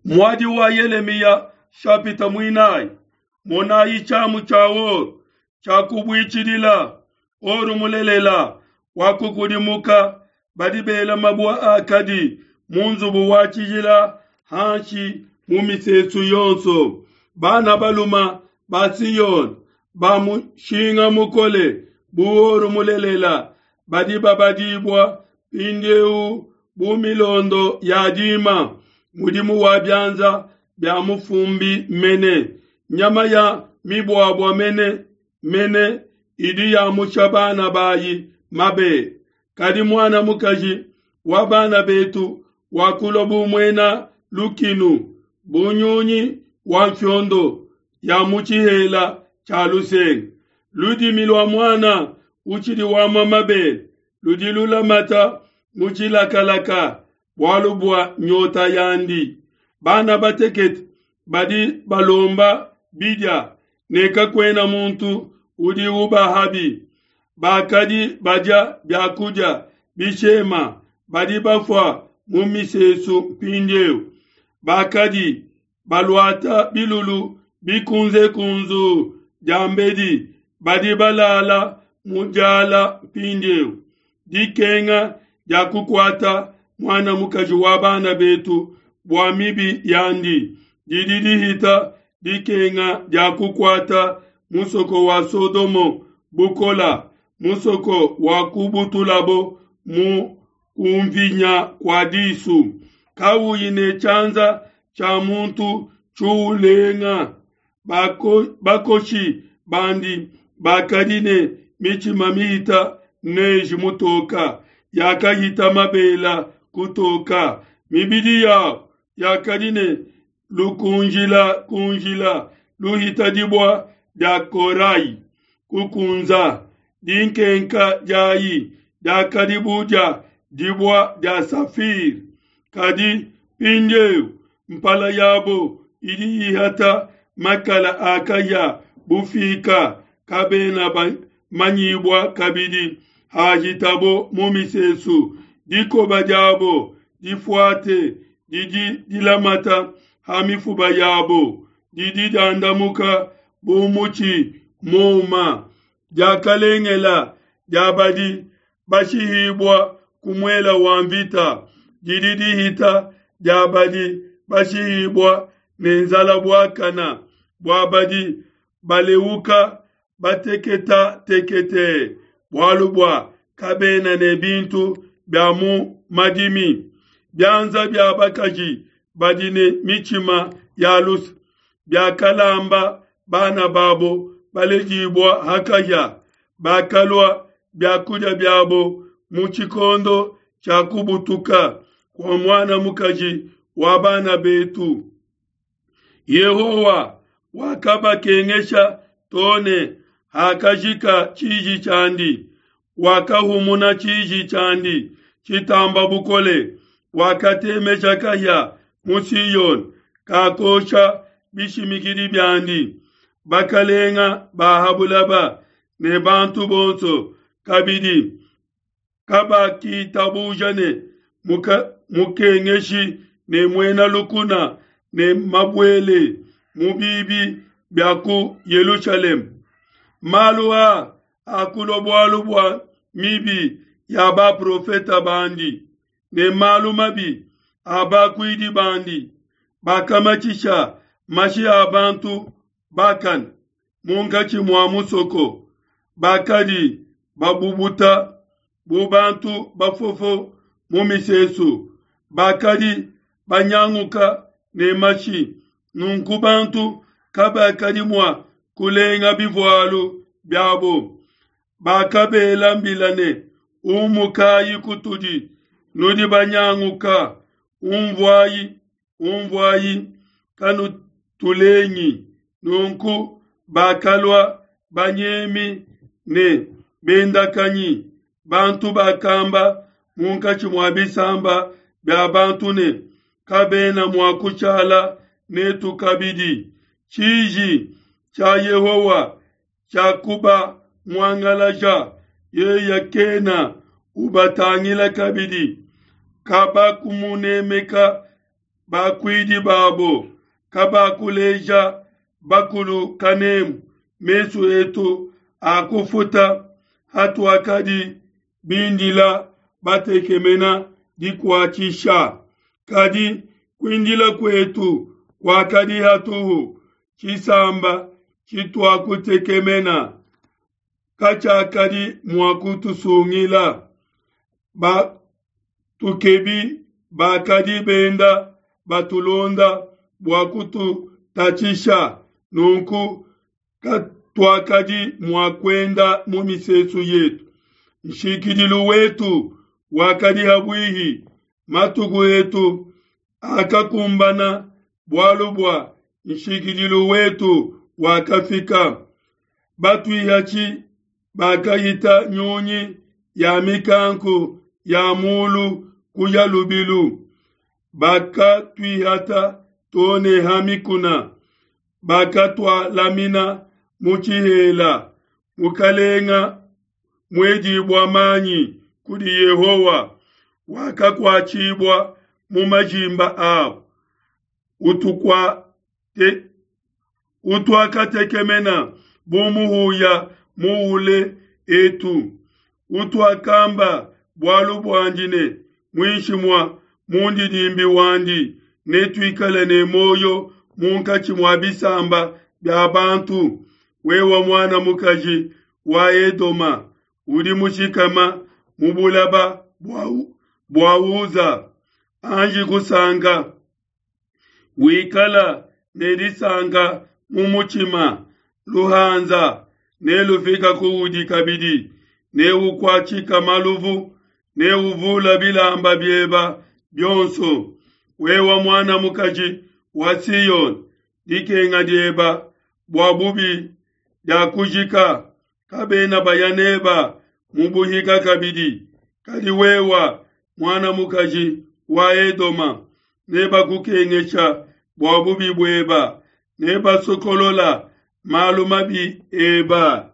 Muadi wa Yelemiya shapita muinayi. Monayi tshiamu tshia or tshiakubuitshidila, or mulelela wakukudimuka. Badi bela mabue akadi mu nzubu wa tshijila hanshi mu misesu yonso. Bana baluma ba Siyone ba mushinga mukole bu or mulelela badi babadibua mpindieu bu milondo ya dima, mudimu wa bianza bia mufumbi mene, nyama ya mibuabua mene mene idi yamusha bana bayi mabele. Kadi muana mukaji wa bana betu wakulua bu muena lukinu, bu nyunyi wa mfiondo ya mu tshihela tshia lusenga. Ludimi lua muana utshidi wamua mabele ludi lulamata mu tshilakalaka bualu bua nyota yandi. Bana batekete badi balomba bidia, ne kakuena muntu udi ubahabi. Bakadi badia biakudia bishema badi bafua mu misesu mpindieu. Bakadi baluata bilulu bikunzekunzuu diambedi badi balala mu diala mpindieu. Dikenga dia kukuata muana mukaji wa bana betu bua mibi yandi didi dihita dikenga dia kukuata musoko wa Sodomo bukola, musoko wa kubutulabo mu kumvinya kua disu, kauyi ne tshianza tshia muntu tshiulenga. Bakoshi bandi bakadi ne mitshima mihita neige mutoka, yakahita mabela kutoka. Mibidi yabo yakadi ne lukunjila kunjila luhita dibua dia korai kukunza. Dinkenka diayi diakadi bu dia dibua dia safire. Kadi mpindieu mpala yabo idi ihata makala a kahia bufika, kabena bamanyibua kabidi hahitabo mu misesu. Dikoba diabo difuate didi dilamata ha mifuba yabo, didi diandamuka bu mutshi muuma. Diakalengela dia badi bashihibua ku muela wa mvita didi dihita dia badi bashihibua ne nzala buakana, bua badi baleuka bateketatekete, bualu bua kabena ne bintu bia mu madimi. Bianza bia bakaji badi ne mitshima ya luse biakalamba bana babo baledibua hakahia, bakalua biakudia biabo mu tshikondo tshia kubutuka kua muana mukaji wa bana betu. Yehowa wakabakengesha too ne hakajika tshiji tshiandi, wakahumuna tshiji tshiandi tshitamba bukole, wakatemesha kahia mu Siona, kakosha bishimikidi biandi. Bakalenga ba ha bulaba ne bantu bonso kabidi kabakitabuja ne mukengeshi ne muena lukuna ne mabuele mu bibi bia ku Yelushalema. Malu aa akulua bualu bua mibi ya baprofeta bandi ne malu mabi a bakuidi bandi bakamatshisha mashi a bantu bakane munkatshi mua musoko, bakadi babubuta bu bantu bafofo mu misesu, bakadi banyanguka ne mashi, nunku bantu kabakadi mua kulenga bivualu biabo. Bakabela mbila ne, Umukayi kutudi, nudi banyanguka, unvuayi, unvuayi, kanutulengi. Nunku bakalua banyemi ne bendakanyi, bantu bakamba munkatshi mua bisamba bia bantu ne, Kabena mua kushala netu kabidi. Tshiji tshia Yehowa tshiakubamuangalaja, yeye kena ubatangila kabidi. Kabakumunemeka. Bakuidi babo kabakuleja bakulu kanemu. Mesu etu akufuta hatuakadi bindila batekemena dikuatshisha. Kadi kuindila kuetu kuakadi hatuhu, tshisamba tshituakutekemena katshiakadi mua kutusungila. Batukebi bakadi benda batulonda bua kututatshisha, nunku katuakadi mua kuenda mu misesu yetu. Nshikidilu wetu wakadi habuihi, matuku etu akakumbana, bualu bua nshikidilu wetu wakafika. Batuihatshi bakahita nyunyi ya mikanku ya mulu kuya lubilu, bakatuihata to ne ha mikuna, bakatualamina mu tshihela. Mukalenga muedibua manyi kudi Yehowa wakakuatshibua mu majimba abo. Utuakatekemena bu muhuya muule etu, utuakamba bualu buandi ne, muinshi mua mundidimbi wandi netuikale ne muoyo munkatshi mua bisamba bia bantu. Wewe muana mukaji wa Edoma udi mushikama mu bulaba bua Uza, anji kusanka, wikala ne disanka mu mutshima. Luhanza nelufika kuudi kabidi, neukuatshika maluvu, neuvula bilamba bieba bionso. Wewe muana mukaji wa Siyone, dikenga dieba bua bubi diakujika, kabena baya neba mu buhika kabidi. Kadi wewa muana mukaji wa Edoma, nebakukengesha bua bubi bueba, nebasokolola malu mabi eba.